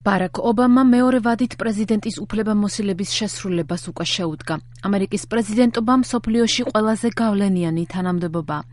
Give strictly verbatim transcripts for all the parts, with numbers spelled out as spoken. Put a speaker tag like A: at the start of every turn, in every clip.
A: ბარაკ ობამა მეორე ვადით პრეზიდენტის უფლებამოსილების შესრულებას უკვე შეუდგა. ამერიკის პრეზიდენტობამ მსოფლიოში ყველაზე გავლენიანი თანამდებობაა.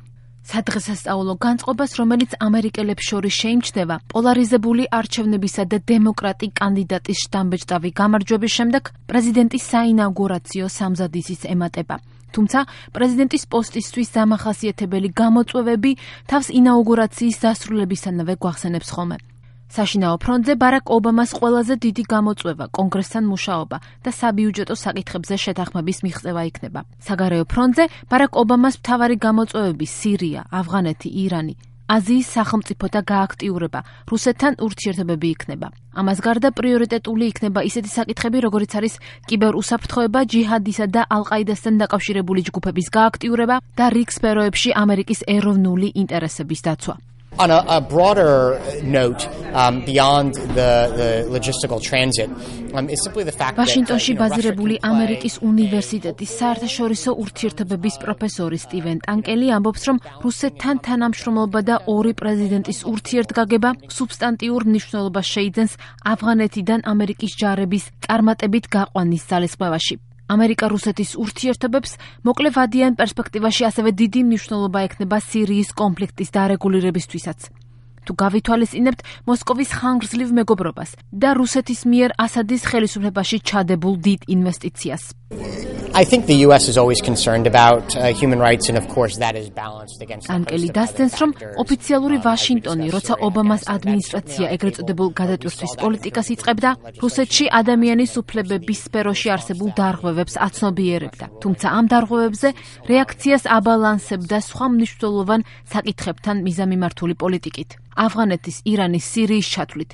A: სადღესასწაულო განწყობას, რომელიც ამერიკელებს შორის შეიმჩნევა, პოლარიზებული არჩევნებისა და დემოკრატი კანდიდატის შთამბეჭდავი გამარჯვების შემდეგ პრეზიდენტის საინაუგურაციო სამზადისის ემატება. თუმცა პრეზიდენტის პოსტისთვის დამახასიათებელი გამოწვევები თავს ინაუგურაციის დასრულებისანავე გვახსენებს ხოლმე. საშინაო ფრონტზე ბარაკ ობამას ყველაზე დიდი გამოწვევა კონგრესთან მუშაობა და საბიუჯეტო საკითხებზე შეთანხმების მიღწევა იქნება. საგარეო ფრონტზე ბარაკ ობამას მთავარი გამოწვევები სირია, ავღანეთი, ირანი, აზიის სახელმწიფოთა გააქტიურება, რუსეთთან ურთიერთობები იქნება. ამას გარდა პრიორიტეტული იქნება ისეთი საკითხები, როგორიც არის კიბერუსაფრთხოება, ჯიჰადისა და ალ-ყაიდასთან დაკავშირებული ჯგუფების გააქტიურება და რიგ სფეროებში ამერიკის ეროვნული ინტერესების დაცვა.
B: On a, a broader note, um, beyond the, the logistical transit, um, is simply the fact that
A: Washingtonში ბაზირებული ამერიკის უნივერსიტეტის საერთაშორისო ურთიერთობების პროფესორი სტივენ ტანკელი ამბობს, რომ რუსეთთან თანამშრომლობა და ორი პრეზიდენტის ურთიერთგაგება სუბსტანტიურ მნიშვნელობას შეიძენს ავღანეთიდან ამერიკის ჯარების წარმატებით გაყვანის ძალისხმევაში. ამერიკა-რუსეთის ურთიერთობებს მოკლე ვადიან პერსპექტივაში ასევე დიდი მნიშვნელობა ექნება სირიის კონფლიქტის დარეგულირებისთვისაც. თუ გავითვალისწინებთ მოსკოვის ხანგრძლივ მეგობრობას და რუსეთის მიერ ასადის ხელისუფლებაში ჩადებულ დიდ ინვესტიციას.
B: I think the U S is always concerned about uh, human rights and of course that is balanced against
A: Anკელი დასცენს, რომ ოფიციალური ვაშინგტონი, როცა ობამას ადმინისტრაცია ეგრეთ წოდებულ გადატვირთვის პოლიტიკას იწყებდა, რუსეთში ადამიანის უფლებების სფეროში არსებულ დარღვევებს აცნობიერებდა. თუმცა ამ დარღვევებზე რეაქციას აბალანსებდა სხვა მნიშვნელოვან საკითხებთან მიზამიმართული პოლიტიკით. ავღანეთის, ირანის, სირიის ჩათვლით.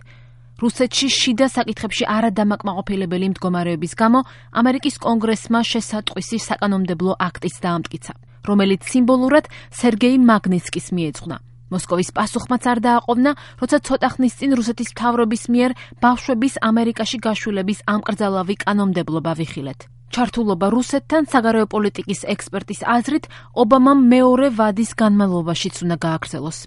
A: რუსეთში შიდა საკითხებში არადამაკმაყოფილებელი მდგომარეობის გამო ამერიკის კონგრესმა შესატყვისი საკანონმდებლო აქტიც დაამტკიცა, რომელიც სიმბოლურად სერგეი მაგნიცკის მიეძღვნა. მოსკოვის პასუხმაც არ დააყოვნა, როცა ცოტა ხნის წინ რუსეთის მთავრობის მიერ ბავშვების ამერიკაში გაშვილების ამკრძალავი კანონმდებლობა ვიხილეთ. ჩართულობა რუსეთთან საგარეო პოლიტიკის ექსპერტის აზრით ობამამ მეორე ვადის განმავლობაშიც უნდა გააგრძელოს.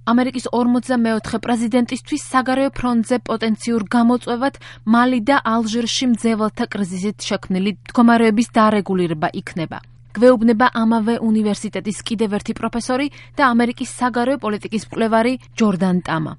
A: ამერიკის ორმოცდამეოთხე პრეზიდენტისთვის საგარეო ფრონტზე პოტენციურ გამოწვევად მალი და ალჟირში მძევალთა კრიზისით შექმნილი მდგომარეობის დარეგულირება იქნება. გვეუბნება ამავე უნივერსიტეტის კიდევ ერთი პროფესორი და ამერიკის საგარეო პოლიტიკის მკვლევარი ჯორდან ტამა.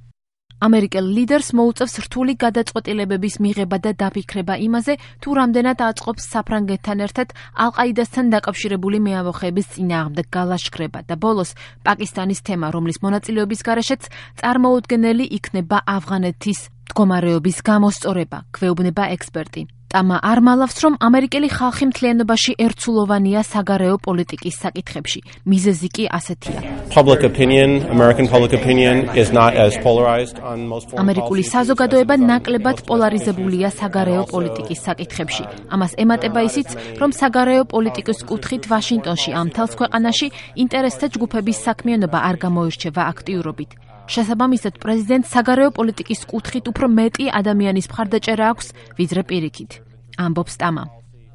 A: ამერიკელ ლიდერს მოუწევს რთული გადაწყვეტილებების მიღება და დაფიქრება იმაზე, თუ რამდენად აწყობს საფრანგეთთან ერთად ალ-ყაიდასთან დაკავშირებული მეამბოხეების წინააღმდეგ გალაშქრება და ბოლოს პაკისტანის თემა, რომლის მონაწილეობის გარეშეც წარმოუდგენელი იქნება ავღანეთის მდგომარეობის გამოსწორება, გვეუბნება ექსპერტი. ტამა არ მალავს, რომ ამერიკელი ხალხი მთლიანობაში ერთსულოვანია საგარეო პოლიტიკის საკითხებში. მიზეზი კი ასეთია.
C: Public opinion, American public opinion is not as polarized on most foreign
A: ამერიკული საზოგადოება ნაკლებად პოლარიზებულია საგარეო პოლიტიკის საკითხებში. ამას ემატება ისიც, რომ საგარეო პოლიტიკის კუთხით ვაშინგტონში ამ თელს ქვეყანაში ინტერესთა ჯგუფების საქმიანობა არ გამოირჩევა აქტიურობით. შესაბამისად, პრეზიდენტს საგარეო პოლიტიკის კუთხით უფრო მეტი ადამიანის მხარდაჭერა აქვს, ვიდრე პირიქით. ამბობს ტამა.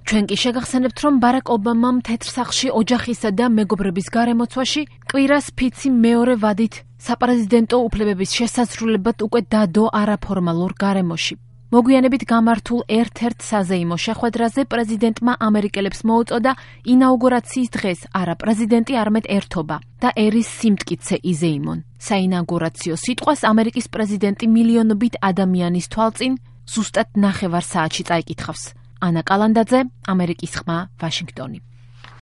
A: ჩვენ კი შეგახსენებთ, რომ ბარაკ ობამამ თეთრ სახლში ოჯახისა და მეგობრების გარემოცვაში კვირას ფიცი მეორე ვადით საპრეზიდენტო უფლებების შესაძლებლად უკვე დადო არაფორმალურ გარემოში. მოგვიანებით გამართულ ერთ-ერთ საზეიმო შეხვედრაზე პრეზიდენტმა ამერიკელებს მოუწოდა ინაუგურაციის დღეს არა პრეზიდენტი, არამედ ერთობა და ერის სიმტკიცე იზეიმონ. საინაუგურაციო სიტყვას ამერიკის პრეზიდენტი მილიონობით ადამიანის თვალწინ ზუსტად ნახევარ საათში წაიკითხავს. ანა კალანდაძე, ამერიკის ხმა, ვაშინგტონი.